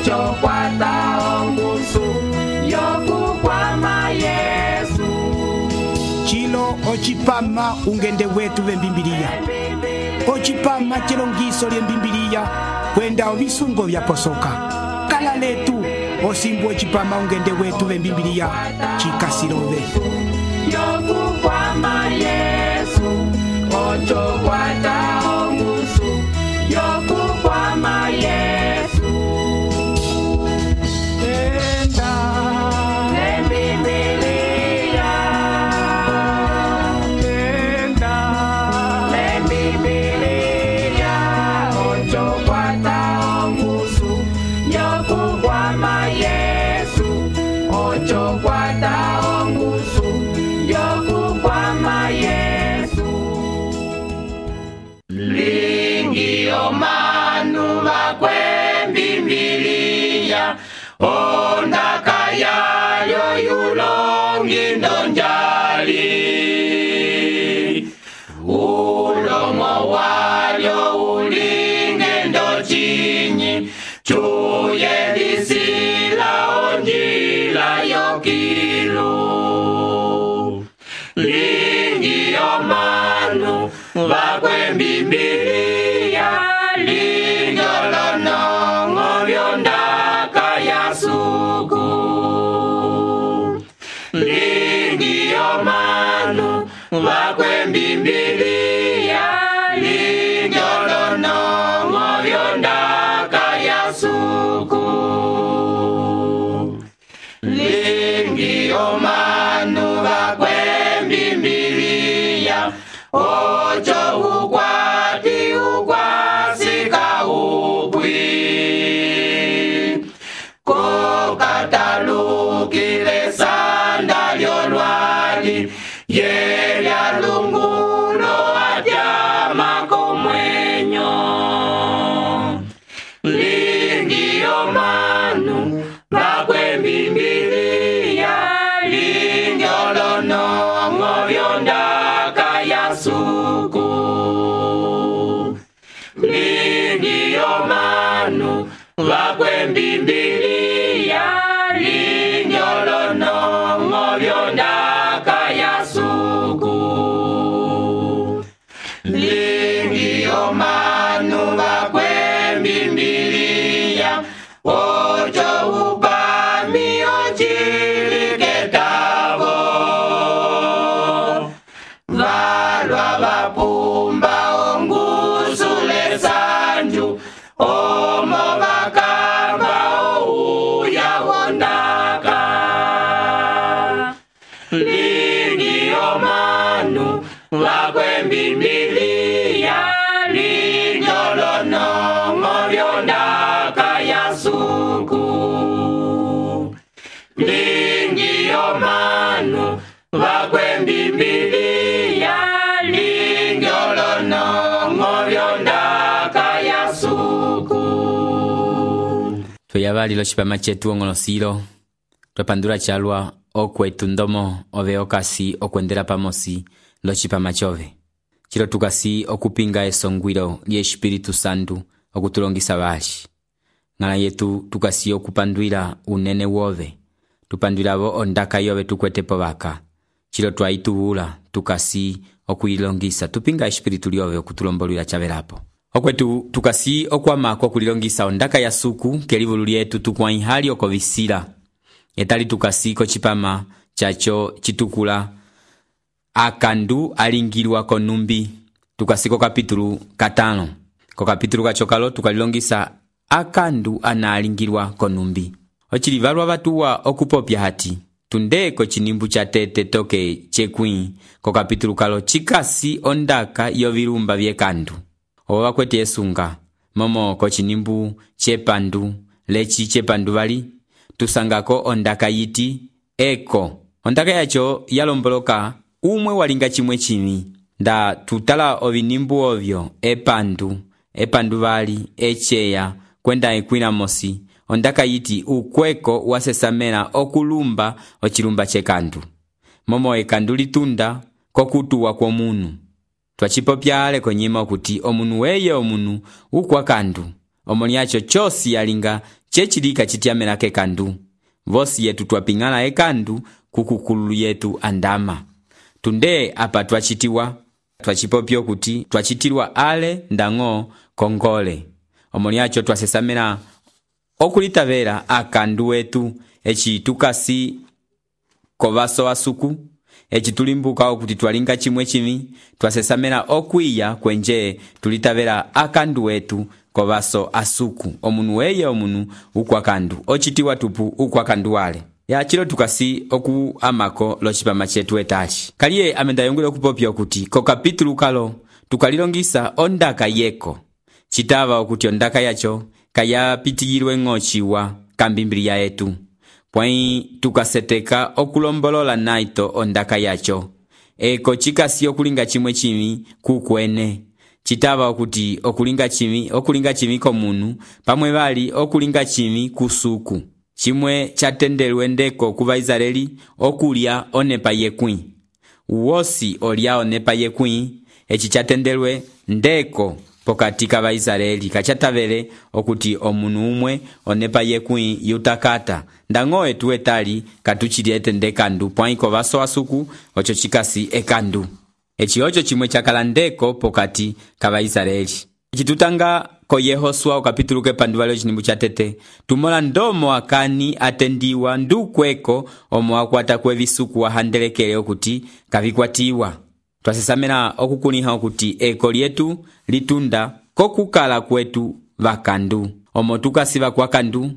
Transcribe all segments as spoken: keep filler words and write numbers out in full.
ocho kwata ongusu yokukwama Yesu. Chilo ochipama ungende wetu vembimbiliya. Ochipama chilongiso lyembimbiliya kwenda ovisungo vyaposoka. Kala letu osimbu ochipama ungende wetu vembimbiliya chikasilove. Yokukwama Yesu, ocho kwata ongusu yokukwama Yesu. Enda lembimbiliya, enda lembimbiliya, ocho kwata ongusu yokukwama Yesu, ocho kwata ongusu yokukwama Yesu. Lingi omanu bakwembimbiliya, ondaka yayo yulongi ndonjali. Ulomo walyo ulinge ndochinyi, chuye lisila onjila yokilu. Lingi omanu bakwembimbiliya, linjolonongo byondaka yasuku. Lingi omanu bakwembimbiliya, linjolonongo byondaka yasuku. Lingi omanu bakwembimbiliya, ocho ukwati ukwasika upwi. Kokatalukile sanda lyolwali, yelya lungulo atyama komwenyo. Lingi omanu bakwembimbiliya, linjolonongo byondaka yasuku. Lingi omanu bakwembimbiliya, linjolonongo byondaka yasuku. Lingi omanu bakwembimbiliya, ocho upami ochiliketavo. Valwa vapumba ongusule sanju, omo vakamba ouya wondaka. Lingi omanu bakwembimbiliya, linjolonongo byondaka yasuku. Lingi omanu bakwembimbiliya, linjolonongo byondaka yasuku. Tuyavali lo chipama chetu ongolosilo, twepandula chalwa okwetu ndomo ove okasi okwendela pamosi lo chipama chove. Chilo tukasi okupinga esongwilo lye Espiritu Santu okutulongisa bali. Ngala yetu tukasi okupandwila unene wove, tupandwilavo ondaka yove tukwetepo baka. Chilo twaituhula tukasi okuyilongisa, tupinga Espiritu lyove okutulombolwila chavelapo. Okwetu tukasi okwamako kulilongisa ondaka ya suku kelivulu lyetu tukwaihali okovisila. Etali tukasi kochipama chacho chitukula akandu alingilwa konumbi. Tukasi ko kapitulu katano. Ko kapitulu kachokalo tukalilongisa akandu ana alingilwa konumbi. Ochilivalwa batuwa okupopya hati. Tundeko chinimbu cha tete toke chekwi ko kapitulu kalo chikasi ondaka yovilumba vyekandu. Owa kwete yesunga momo ko chinimbu chepandu lechi chepandu vali tusangako ondaka yiti eko. Ondaka yacho yalomboloka umwe walinga chimwe chimi. Nda tutala ovinimbu ovyo epandu epandu vali echeya kwenda ekwina mosi. Ondaka yiti ukweko wasesamela okulumba ochilumba chekandu. Momo ekandu litunda kokutuwa kwa munu. Twachipopyale konyima okuti omunu weye omunu ukwa kandu. Omoni yacho chosi yalinga chechili kachitiamela kekandu. Vosi yetu twapingala ekandu kukukululu yetu andama. Tunde apa twachitiwa, twachipopyo kuti twachitilwa ale ndango kongole. Omoni acho twasesamela okulitavela akandu wetu echi tukasi kovaso asuku, echi tulimbuka okuti twalinga chimwe chimi, twasesamela okwiya kwenje tulitavela akandu wetu kovaso asuku. Omunu weye omunu ukwakandu, ochitiwa tupu ukwakandu wale. Ya chilo tukasi oku amako lo chipama chetu etachi. Kaliye amenda yongule okupopya okuti ko kapitulu kalo tukalilongisa ondaka yeko. Chitava okuti ondaka yacho kaya pitiyilwe ngochiwa kambimbilia yetu. Pwai tukaseteka okulombolola naito ondaka yacho. Eko chikasi okulinga chimwe chimi kukwene. Chitava okuti okulinga chimi, okulinga chimi komunu, pamwe bali okulinga chimi kusuku. Chimwe chatendelwe ndeko kuva Israeli okulia onepa yekwi. Uosi olia onepa yekwi, echi chatendelwe ndeko pokati kava Israeli. Kachatavele okuti omunu umwe onepa yekwi yutakata. Ndango etu etali katuchili etende kandu. Pwaiko vaso asuku ocho chikasi ekandu. Echi ocho chimwe chakala ndeko pokati kava Israeli. Echi tutanga ko Yehosua okapitulu kepandu valio chinimbu chatete. Tumola ndomo akani atendiwa ndukweko omo akwata kwe visuku wahandelekele okuti kavikwatiwa. Twasesamela okukuniha okuti eko lietu litunda kokukala kwetu vakandu. Omo tukasiva kwa kandu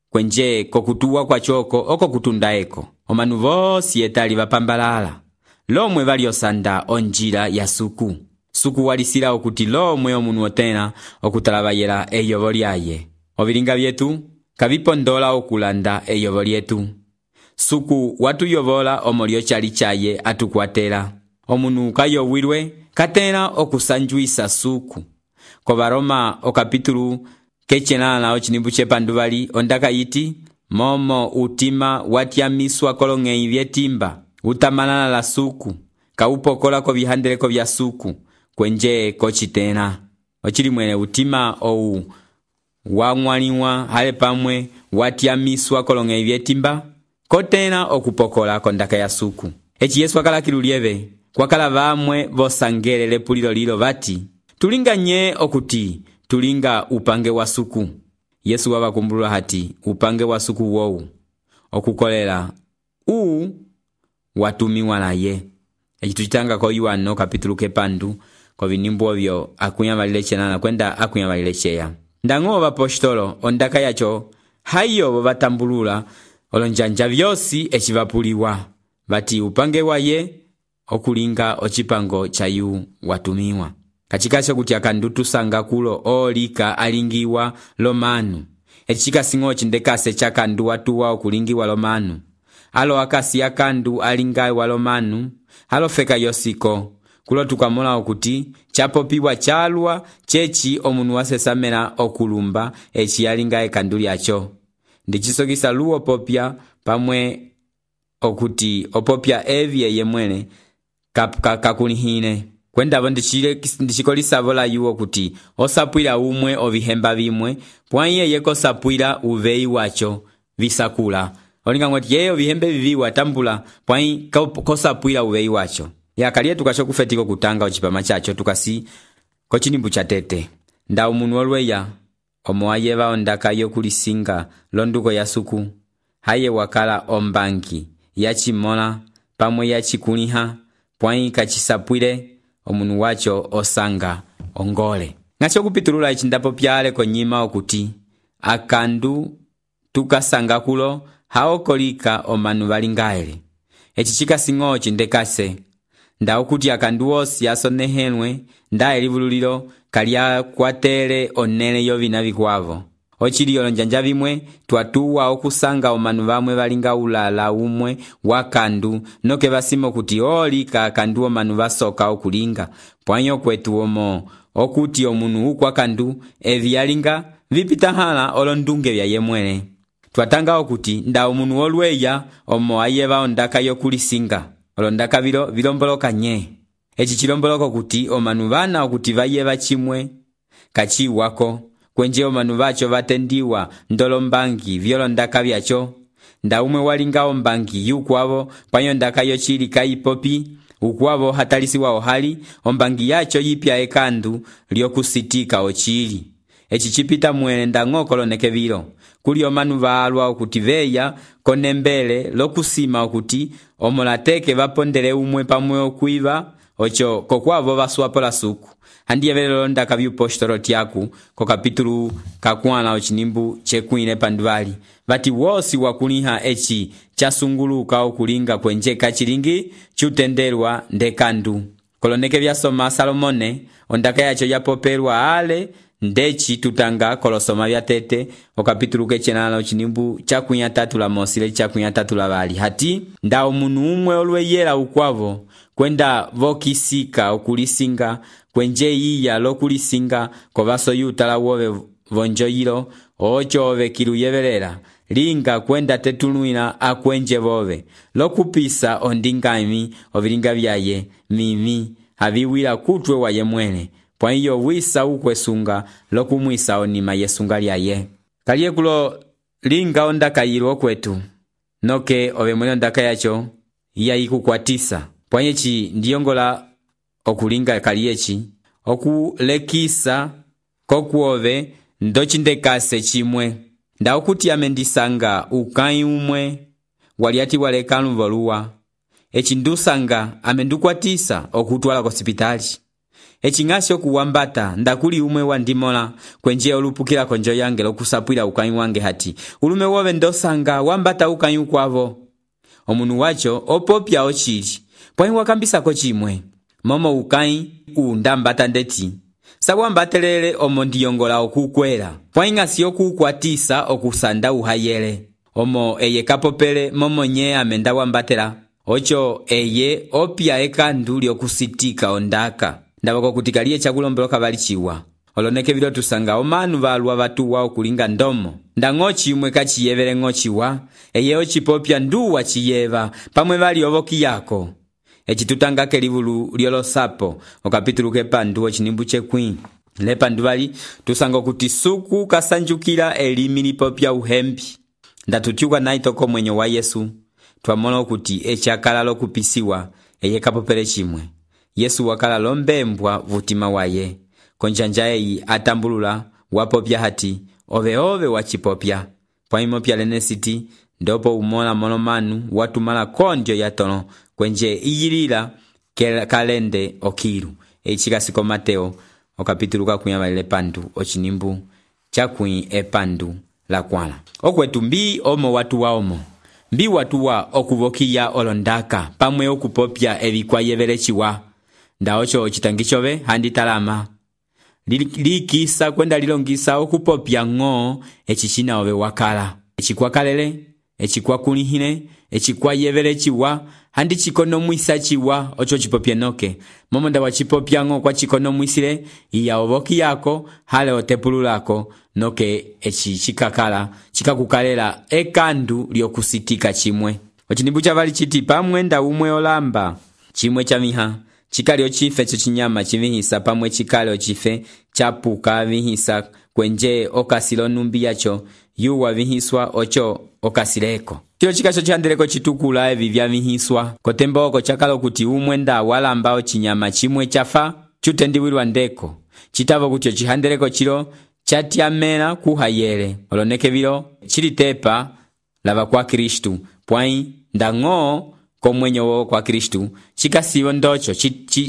kwenje kokutuwa kwa choko oko kutunda eko. Omanu vosi etali vapambalala. Lomwe valiosanda onjila ya suku. Suku walisila okuti lomwe omunu otena okutalabayela eyovo lyaye. Ovilinga vyetu kavipondola okulanda eyovo lyetu. Suku watu yovola omolio chali chaye atukwatela. Omunu kayowilwe katena okusanjuisa suku. Ko Baroma okapitulu kechenala ochinimbu chepandu vali ondaka yiti momo utima watiamiswa kolongei vyetimba. Utamanana la suku, kaupokola ko vihandeleko vya suku, kwenje kochitena. Ochili mwene utima ou wangwaniwa hale pamwe watiamiswa kolonge vyetimba, kotena okupokola kondaka ya suku. Echi Yesu akala kilulieve, kwa kala vamwe vosangele lepulilo lilo vati, tulinga nye okuti, tulinga upange wa suku. Yesu wabakumbulula hati, upange wa suku wou, okukolela, uu, watumiwa na ye. Echi tuchitanga ko Yohana kapitulu kepandu ko vinimbu ovyo akunyamalileche nana kwenda akunyamalilecheya. Ndango vapostolo ondaka yacho hayo vatambulula olonjanja vyosi echivapuliwa. Vati upange wa ye okulinga ochipango chayu watumiwa. Kachikasho kuti akandutu sanga kulo olika alingiwa lomanu. Echikasingo chindekase chakandu watuwa okulingiwa lomanu. Alo akasi akandu alingai walomanu, halo feka yosiko, kulo tukamola okuti, chapopiwa chalwa, chechi omunu wasesamela okulumba, echi alingai kanduli acho. Ndichisogisa luo popya, pamwe okuti, opopya evye yemwene, kakunihine. Kwenda vo ndichikolisa vola yu okuti, osapuila umwe ovihemba vimwe, pwanye yeko sapuila uvei wacho, visakula. Olinga ngoti yeyo vihembe vivi watambula pwai kosapuila uvei wacho. Ya kalie tukasho kufetiko kutanga ochipama chacho tukasi kochinimbu chatete. Nda umunu olweya omo ayeva ondaka yokulisinga londuko ya suku. Haye wakala ombanki yachimola pamwe yachikuniha pwai kachisapuile omunu wacho osanga ongole. Ngacho kupitulula ichindapo pyale konyima okuti akandu tukasanga kulo haokolika omanu valingaele. Echi chikasingo chindekase. Nda okuti akandu osi asonehenwe, nda elivululilo kalia kwatele onele yovina vikwavo. Ochili olonjanja vimwe, tuatuwa okusanga omanu vamwe valinga ulala umwe wakandu, noke vasimo kuti olika akandu omanu vasoka okulinga. Pwanyo kwetu omo, okuti omunu ukwa kandu, evi yalinga, vipitahala olondunge vya yemwele. Tuatanga okuti nda omunu olweya omo ayeva ondaka yokulisinga. Olondaka vilo vilomboloka nye. Echi chilomboloko kuti omanu vana okuti vayeva chimwe kachi wako kwenje omanu bacho batendiwa ndolombangi vyolondaka byacho. Nda umwe walinga ombangi yukwavo panyo ndaka yochili kaipopi ukwavo hatalisiwa ohali ombangi yacho yipya ekandu lyokusitika ochili. Echi chipita mwene ndang'o koloneke vilo kuli omanu baalwa okuti veya konembele lokusima okuti omolateke bapondele umwe pamwe okwiva ocho kokwavo baswapo la suku. Handi yevele ndaka byupostolo tiaku ko kapitulu kakwana ochinimbu chekwine panduvali bati wosi wakuliha echi chasunguluka okulinga kwenje kachilingi chutenderwa ndekandu. Koloneke byasoma Salomone ondaka yacho yapopelwa ale ndechi tutanga kolosoma bya tete o kapitulu kechenana ochinimbu chakunya tatu la mosile chakunya tatu la bali hati nda omunu umwe olweyela ukwavo kwenda vokisika okulisinga kwenje iya lokulisinga kobaso yutala wobe vonjoyilo ocho ove kiluyevelela linga kwenda tetuluina akwenje bobe lokupisa ondingami ovilinga byaye mimi habiwila kutwe waye mwene kwa hiyo wisa ukwesunga lokumwisa onima yesunga lyaye kaliye kulo linga ondaka yilo kwetu noke ove mwene ondaka yacho iya ikukwatisa pwanyechi ndiyongola okulinga kaliyechi okulekisa kokuove ndochindekase chimwe nda okuti amendisanga ukai umwe waliati walekanu voluwa echi ndusanga amendukwatisa okutwala kosipitali echi ngasi okuwambata ndakuli umwe wandimola kwenje olupukila konjo yange lokusapwila ukai wange hati ulume wove ndosanga wambata ukai ukwavo omunu wacho opopya ochili pwahi wakambisa kochimwe momo ukai undambata ndeti sawambatelele omo ndiyongola okukwela pwahi ngasi okukwatisa okusanda uhayele omo eye kapopele momo nye amenda wambatela ocho eye opya ekandu lyokusitika ondaka ndabako kutikaliye chakulombeloka balichiwa oloneke bilo tusanga omanu balwa batuwa okulinga ndomo ndang'ochi umwe kachiyevele ng'ochiwa eye ochipopya nduwa chiyeva pamwe bali oboki yako echi tutanga kelivulu lyolosapo okapitulu kepandu ochinimbu chekwi lepandu bali tusanga kuti suku kasanjukila elimi lipopya uhembi ndatutiuka naitoko mwenyo wa Yesu twamona okuti echakala lokupisiwa eye kapopele chimwe Yesu wakala lombembwa vutima waye konjanja eyi atambulula wapopya hati ove ove wachipopya pwaimopya lenesiti ndopo umola monomanu watumala kondyo yatono kwenje iyilila kalende okilu echikasiko Mateo okapitulu kakuyabalile pandu ochinimbu chakwi epandu la kwala okwetu mbi omo watu wa omo mbi watu wa okubokiya olondaka pamwe okupopya ebikwayevelechiwa ndaocho ochitangichove handi talama likisa kwenda lilongisa okupopya ng'o echichina ove wakala echikwakalele echikwakulihine echikwayevelechiwa handi chikonomwisa chiwa ocho chipopye noke momo nda wachipopya ng'o kwa chikonomwisile iya oboki yako hale otepululako noke echi chikakala chikakukalela ekandu lyokusitika chimwe ochinimbu chavali chiti pamwe nda umwe olamba chimwe chamiha chikali ochife chochinyama chivihisa pamwe chikali ochife chapuka vihisa kwenje okasilo numbi yacho yuwa vihiswa ocho okasileko chilo chikacho chandeleko chitukula evi vyavihiswa kotembo oko chakalo kuti umwe nda walamba ochinyama chimwe chafa chutendiwilwa ndeko chitavo kuti chihandeleko chilo chatyamela kuhayele oloneke vilo chilitepa lava kwa Kristu pwai ndang'o komwenyo wo kwa Kristu chikasivo ndocho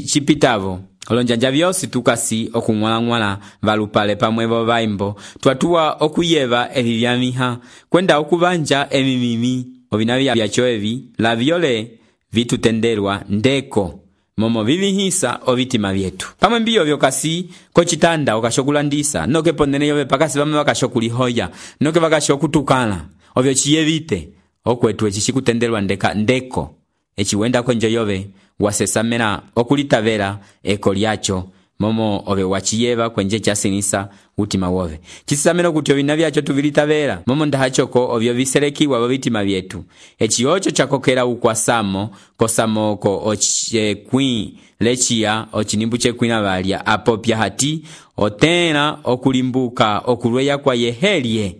chipitavo olonjanja vyosi tukasi okung'wala-ng'wala valupale pamwe vo vaimbo twatuwa okuyeva evi vyamiha kwenda okuvanja emimimi ovina vyacho evi lavyole vitutenderwa ndeko momo vivihisa ovitima vyetu pamwe mbiyo vyokasi kochitanda okashokulandisa noke ponene yove pakasi pamwe vakashokulihoya noke vakashokutukana ovyo chiyevite okwetu echi chikutenderwa ndeka ndeko echi wenda konjo yove wasesamena okulitavela eko lyacho momo ove wachiyeva kwenje chasinisa utima wove chisamena kuti ovina vyacho tuvilitavela momo ndahachoko ovyo viselekiwa vovitima vyetu echi ocho chakokela ukwasamo kosamoko oche kwi lechia ochinimbu chekwina valya apopya hati otẽla okulimbuka okulweya kwa yehelye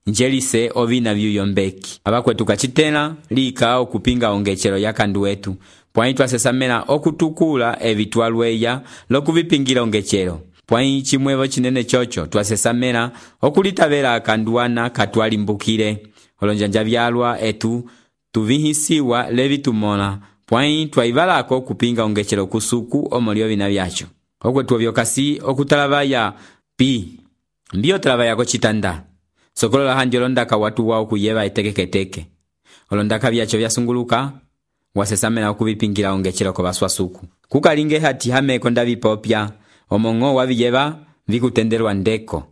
njelise ovina vyuyombeki. Abakwetu kacitẽla lika okupinga ongecelo ya kandu wetu, pwãyi twasesamela okutukula evi twalweya lokuvipingila ongecelo. Pwãyi cimwevo cinene chocho twasesamela okulitavela kanduana katwalimbukile. Olonjanja vyalwa etu tuvihisiwa levi tumola, pwãyi twaivalako kupinga ongecelo kusuku omolio vina vyacho. Okwetu ovyokasi okutalavaya pi mbio talavaya kocitanda sokolola handi olondaka watu wao kuyeva etekeketeke. Olondaka vyacho vyasunguluka wasesamela okuvipingila ongecelo kovaswasuku. Kukalinge hati hameko ndavipopya omong'o waviyeva vikutendelwa ndeko.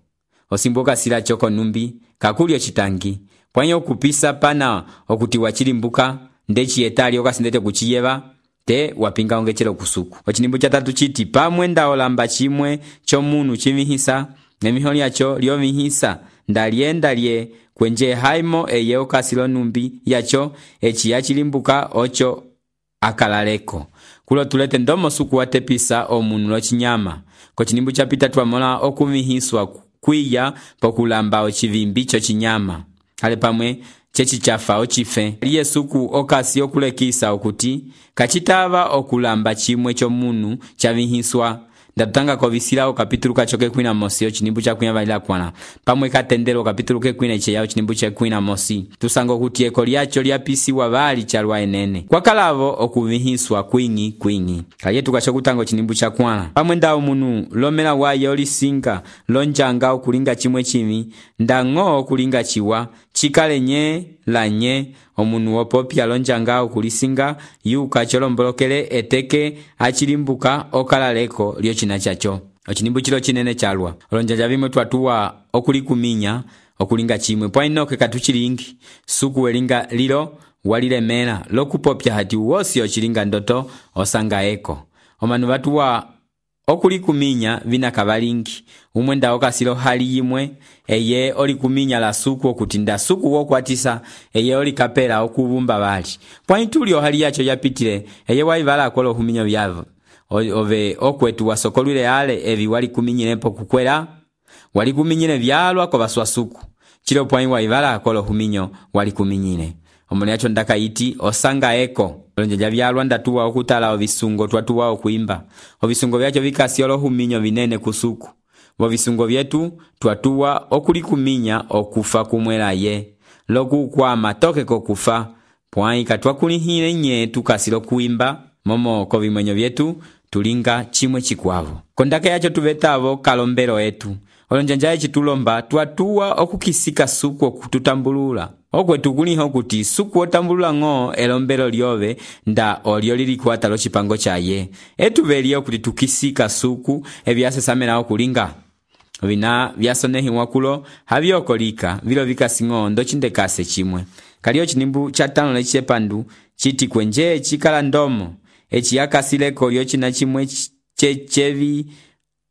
Osimboka sila choko numbi kakulio chitangi, pwãyi okupisa pana okuti wachilimbuka ndechi etali okasindete kuchiyeva te wapinga ongecelo kusuku. Ochinimbu cha tatu chiti pamwe ndaolamba chimwe chomunu chimihisa nemiho lyacho lyomihisa ndalienda lye kwenje haimo eye okasilo numbi yacho echi yachilimbuka ocho akalaleko. Kulo tulete ndomo suku watepisa omunu lochinyama. Kochinimbu cha pita twamola okumihiswa kwiya pokulamba ochivimbi chochinyama. Hale pamwe chechi chafa ochife. Liye suku okasi okulekisa okuti kachitava okulamba chimwe chomunu chavihiswa. Ndatutanga kovisila okapitulu kachoke kwina mosi ochinimbu cha kwina valila kwana. Pamwe katendelo okapitulu ke kwina iche yao ochinimbu cha kwina mosi. Tusango kuti eko liacho liapisi wavali chalwa enene. Kwa kalavo okuvihiswa kwingi kwingi. Kayetu kachokutanga ochinimbu cha kwana. Pamwe ndao munu lomela waye olisinga lonjanga okulinga chimwe chimi ndango okulinga chiwa chikale nye la nye omunu wopopya lonjanga okulisinga yuka cholombolokele eteke achilimbuka okalaleko lyo china chacho. Ochinimbu chilo chinene chalwa. Olonjanja vimwe twatuwa okulikuminya okulinga chimwe. Pwa inoke katuchilingi suku welinga lilo walilemela lokupopya hati uwosi ochilinga ndoto osanga eko. Omanu watuwa okulikuminya vina kavalingi. Umwe nda okasilo hali yimwe eye olikuminya la suku okutinda suku wokwatisa eye olikapela okuvumba vali. Pwãyi tulio hali yacho yapitile eye waivala kolo huminyo vyavo. Ove okwetu wasokolwile ale evi walikuminyile po kukwela walikuminyile vyalwa kwa baswasuku. Chilo pwãyi waivala kolo huminyo walikuminyile. Omone yacho ndaka iti osanga eko. Olonjanja vyalwa ndatuwa okutala ovisungo twatuwa okuimba. Ovisungo vyacho vikasi olo huminyo vinene kusuku. Vovisungo vyetu twatuwa okulikuminya okufa kumwela ye. Loku kwa matoke kokufa. Pwãyi katwakulihile nye tukasilo kuimba. Momo kovimwenyo vyetu tulinga chimwe chikwavo. Kondaka yacho tuvetavo kalombero etu. Olonjanja yechi tulomba twatuwa okukisika suku okututambulula. Okwetu kuliho kuti suku otambulula ng'o elombero lyove nda olio lilikwata lo chipango chaye. Etu velio kuti tukisika suku evyasesamela okulinga. Vina vyasonehi wakulo haviokolika vilo vikasi ng'o ndo chindekase chimwe. Kalio chinimbu chatano leche pandu chiti kwenje chikala ndomo. Echi yakasileko lyo china chimwe chechevi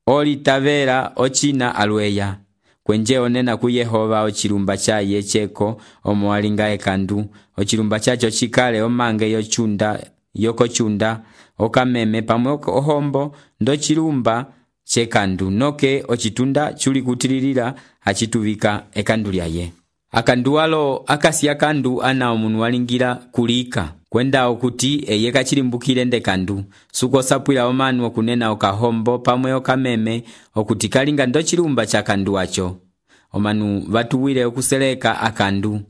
oli tavera ochina alweya. Kwenje onena ku Yehova ochilumba chaye cheko omuwalinga ekandu. Ochilumba chacho chikale omange yochunda yokochunda okameme pamwe ohombo ndo chilumba chekandu noke ochitunda chuli kutililila achituvika ekandu lyaye. Akandu walo akasi akandu ana omunu walingira kulika. Kwenda okuti eye kachilimbukile ndekandu. Suko sapwila omanu okunena okahombo pamwe okameme okuti kalinga ndo chilumba cha kandu wacho. Omanu vatuwile okuseleka akandu.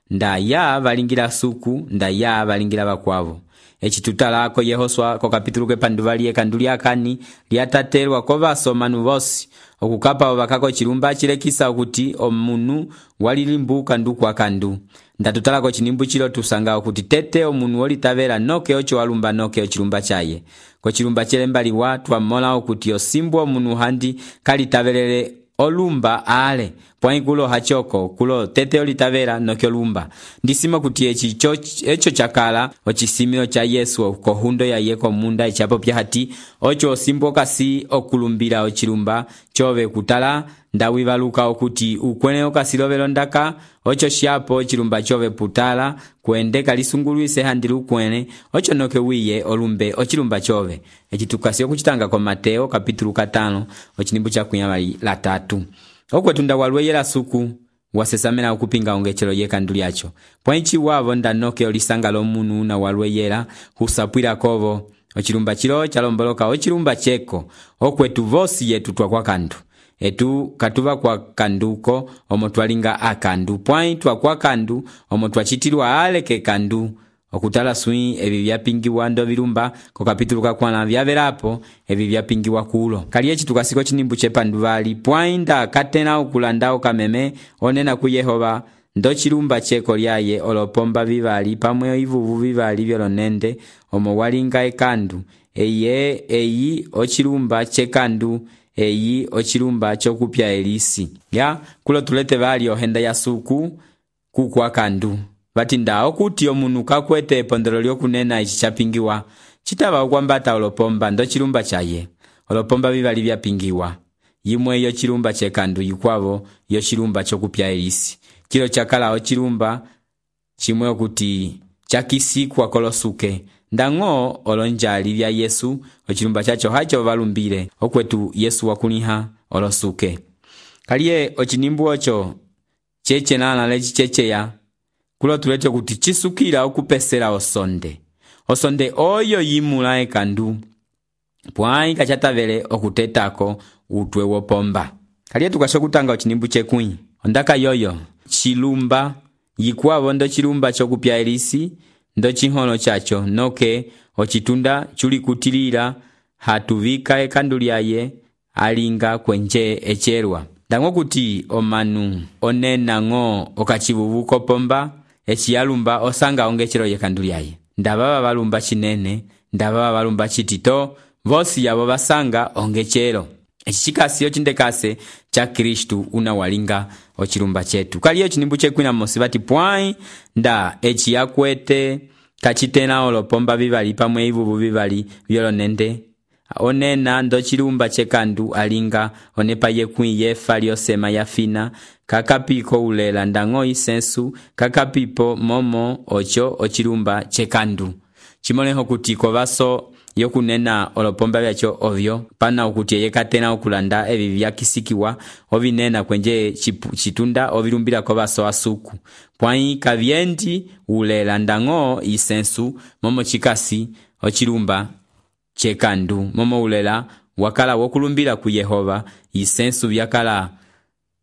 Nda ya valingira suku, nda ya valingira bakwavo. Echi tutalako Yehoswa ko kapitulu ke pandu vali ekandu lyakani lyatatelwa ko vaso manu vosi. Okukapa ovakako chilumba chilekisa okuti omunu walilimbuka ndu kwa kandu. Ndatutala ko chinimbu chilo tusanga okuti tete omunu olitavela noke ocho walumba noke ochilumba chaye. Ko chilumba chelembali watu wamola okuti osimbu omunu handi kalitavelele olumba ale. Pwãyi kulo hachoko kulo tete olitavela noke olumba. Ndisima kuti echi cho, echo chakala ochisimio cha Yesu kohundo ya yeko munda echapo pya hati ocho osimbo kasi okulumbila ochilumba chove kutala ndawivaluka okuti ukwene okasilovelo ndaka ocho shapo chilumba chove putala kwende kalisungulwise handili ukwene ocho noke wiye olumbe ochilumba chove. Eci tukasi okuchitanga kwa Mateo kapitulu katano ochinimbu cha kunyamali la tatu. Okwetu ndawalweyela suku wasesamena okupinga ongechelo yekandu lyacho. Pwenchi wavo ndanoke olisanga lomunu na walweyela husapwila kovo ochilumba chilo chalomboloka ochilumba cheko okwetu vosi yetu twa kwa kandu. Etu katuva kwa kanduko omo twalinga akandu pwai twa kwa kandu omo twachitilwa aleke kandu okutala sui evi vyapingiwa ndo vilumba ko kapitulu kakwana vyavelapo evi vyapingiwa kulo. Kaliechi tukasiko chinimbu chepanduvali pwai nda katena ukulanda ukameme onena ku Yehova ndo chilumba cheko lyaye olopomba vivali pamwe ivuvu vivali vyolonende omo walinga ekandu eye eyi ochilumba chekandu eyi ochilumba chokupya elisi. Ya kulo tulete vali ohenda ya suku kukwa kandu vati nda okuti omunu kakwete epondolo lyokunena ichi chapingiwa chitava ukwambata olopomba ndo chilumba chaye olopomba vivali vyapingiwa yimwe yo chilumba chekandu yikwavo yo chilumba chokupya elisi. Kilo chakala ochilumba chimwe okuti chakisikwa kolosuke ndango olonjali vya Yesu ochilumba chacho hacho valumbile okwetu Yesu wakuliha olosuke. Kalie ochinimbu ocho cheche nana lechi cheche ya kulo tulete kuti chisukila okupesela osonde osonde oyo yimula ekandu pwai kachatavele okutetako utwe wopomba. Kalie tukashokutanga ochinimbu chekwi ondaka yoyo chilumba yikwavo ndo chilumba chokupya elisi ndo chiholo chacho noke ochitunda chuli kutilila hatuvika ekandu lyaye alinga kwenje echerwa. Ndango kuti omanu onena ngo okachivuvu kopomba echiyalumba osanga ongechero yekandu lyaye ndababa balumba chinene ndababa balumba chitito vosi yabo basanga ongechero. Echichikasi ochindekase cha Kristu una walinga ochilumba chetu. Kaliyo chinimbu chekwina mosibati pwai nda echi yakwete kachitena olopomba vivali pamwe ivuvu vivali vyolonende onena ndo chilumba chekandu alinga onepa yekwi yefa lyosema yafina kakapiko ulela ndango isensu kakapipo momo ocho ochilumba chekandu. Chimoleho kuti kovaso yokunena olopomba vyacho ovyo pana ukuti yekatena okulanda evi vyakisikiwa ovinena kwenje chitunda ovilumbila kovaso asuku pwai kavyendi ulela ndango isensu momo chikasi ochilumba chekandu momo ulela wakala wokulumbila ku Yehova isensu vyakala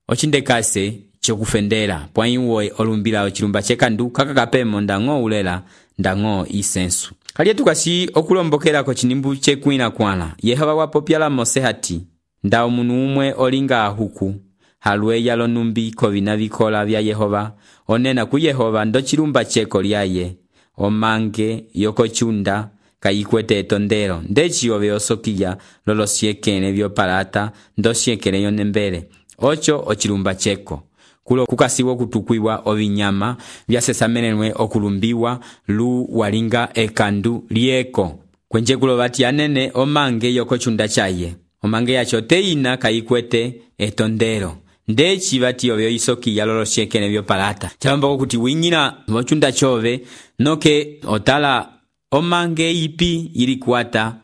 ochindekase chokufendela pwai uwe olumbila ochilumba chekandu kakakapemo ndango ulela ndango isensu. Kalie tukasi okulombokela ko chinimbu chekwina kwana Yehova wapopyala Mose hati nda omunu umwe olinga huku halwe yalo numbi kovina vikola vya Yehova onena ku Yehova ndo chilumba cheko lyaye omange yoko chunda kayikwete etondero ndechi ove osokiya lolo siekene vyo palata ndo siekene yonembele ocho ochilumba cheko. Kulo kukasiwo kutukwiwa ovinyama vyasesamenenwe okulumbiwa lu walinga ekandu lieko kwenje kulo vati anene omange yoko chunda chaye omange yacho teina kayikwete etondero ndechi vati ovyo isoki yalolo shekene vyo palata chalomba kuti winyina mochunda chove noke otala omange ipi ilikuata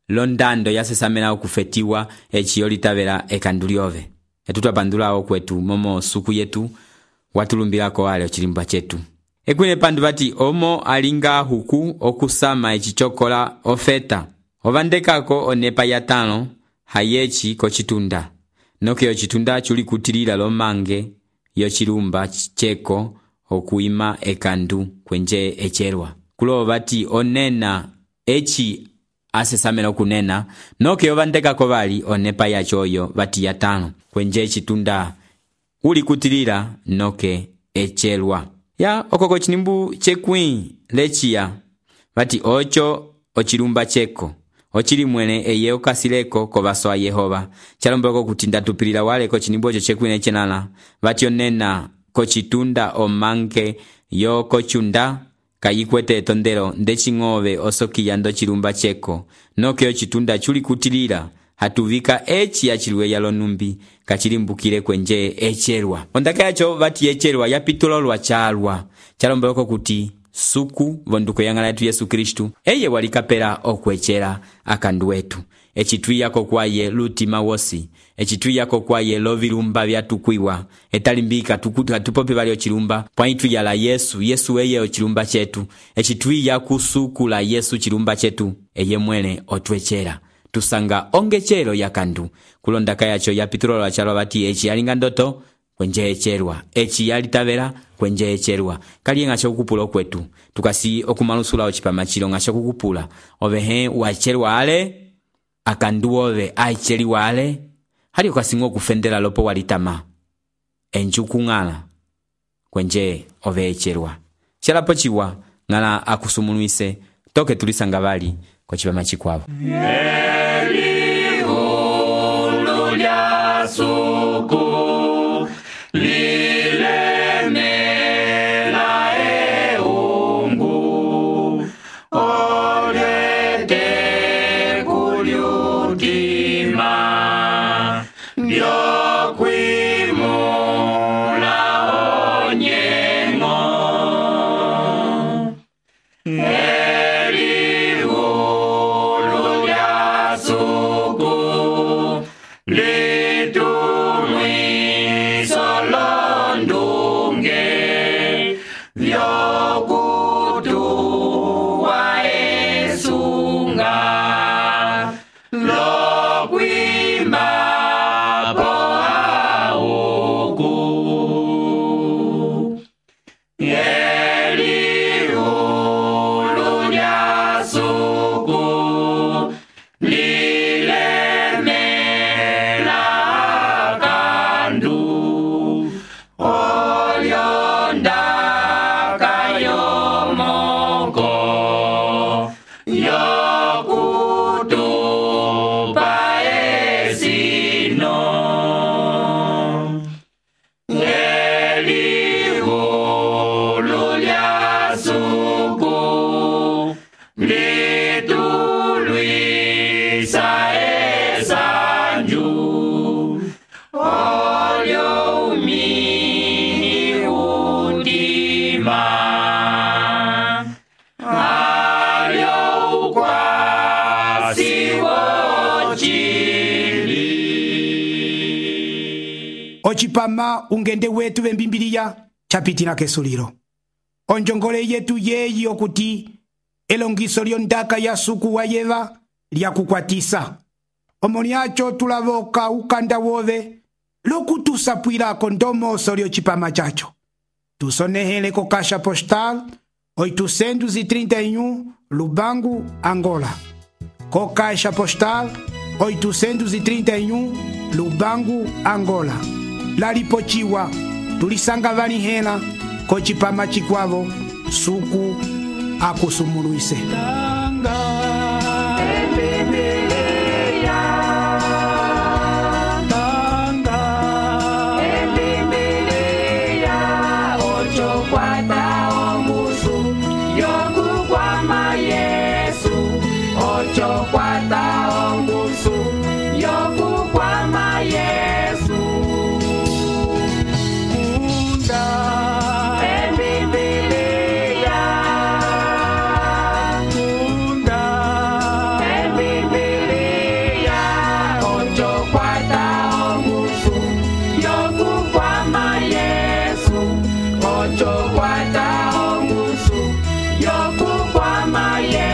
londando yasesamena okufetiwa echi yolitavela ekandu lyove. Etutapandula okwetu momo suku yetu watulumbilako wale ochilimba chetu. Ekwine pandu vati omo alinga huku okusama echichokola ofeta ovandekako onepa ya tano hayechi kochitunda noke yochitunda chuli kutilila lomange yochilumba cheko okuima ekandu kwenje echerwa. Kulo vati onena echi asesamena okunena noke ovandekako vali onepa ya choyo vati ya tano kwenje chitunda uli kutilila noke echerwa. Ya okoko chinimbu chekwi lechia vati ocho ochilumba cheko ochili mwene eye okasileko kovaso a Yehova chalomboko kutinda tupilila wale ko chinimbu ocho chekwi nechenala vati onena kochitunda omange yo kochunda kayikwete etondero ndechingove osokiya ndo chilumba cheko noke ochitunda chuli kutilila hatuvika eci yaciliwe yalonumbi kacilimbukile kwenje ecelwa. Ondaka yacho vati ecelwa yapitulolwa calwa calombeloko kuti suku vonduko yang'ala yetu Yesu Kristu eye walikapela okwecela akandu wetu. Ecitwiyako kwaye lutima wosi, ecitwiyako kwaye lovilumba vyatukwiwa etalimbika tukutu hatupope valio chilumba pwaitu yala Yesu Yesu eye ochilumba chetu. Ecitwiya kusuku la Yesu chilumba chetu eye mwele otwecela tusanga ongechelo yakandu. Kulondaka yacho yapitulolwa calwa vati eci yalinga ndoto kwenje ecelwa, eci yalitavela kwenje ecelwa. Kali ngacho kukupula kwetu tukasi okumalusula ochipama chilo ngacho kukupula ovehe wacelwa ale akandu ove aicheliwa ale hali ukasingo kufendela lopo walitama enjuku ng'ala kwenje ove ecelwa. Chalapo chiwa ng'ala akusumunuise toke tulisanga vali kwa chipama chikwavo. Elihu lya suku lilemela eungu olete kulyutima lyokwimula onyengo. Elihu lya suku litumwiso londunge vyokutuwa esunga lokwimba po auku. Elihu lya suku lilemela akandu olyondaka yomoko yokutupa esino. Elihu lya suku litulwisa esanju olyo umini utima alyo ukwasi wochili. Ochipama ungende wetu vembimbiliya chapitila kesulilo. Onjongole yetu yeyi okuti elongiso lyondaka ya suku wa yeva lya kukwatisa. Omoniacho tulavoka ukanda wove lokutusapwilako ndomoso lyochipama chacho. Tusonehele ko kasha postal oitocentos e trinta e um Lubango, Angola. Ko kasha postal oitocentos e trinta e um Lubango, Angola. Lalipochiwa tulisanga valihela ko chipama chikwavo suku akusumuluise. Ocho kwata ongusu yokukwama ye